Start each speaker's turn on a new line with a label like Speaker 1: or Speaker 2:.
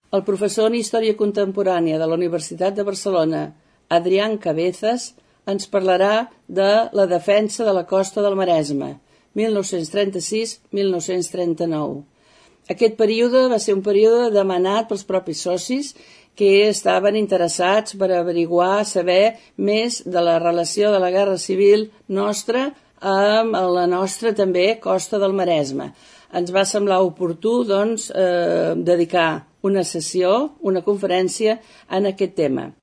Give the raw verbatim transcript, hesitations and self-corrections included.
Speaker 1: El professor en Història Contemporània de la Universitat de Barcelona, Adrián Cabezas, ens parlarà de la defensa de la costa del Maresme, mil nou-cents trenta-sis a mil nou-cents trenta-nou. Aquest període va ser un període demanat pels propis socis que estaven interessats per averiguar, saber més de la relació de la Guerra Civil nostra amb la nostra també costa del Maresme. Ens va semblar oportú, doncs, eh, dedicar una sessió, una conferència en aquest tema.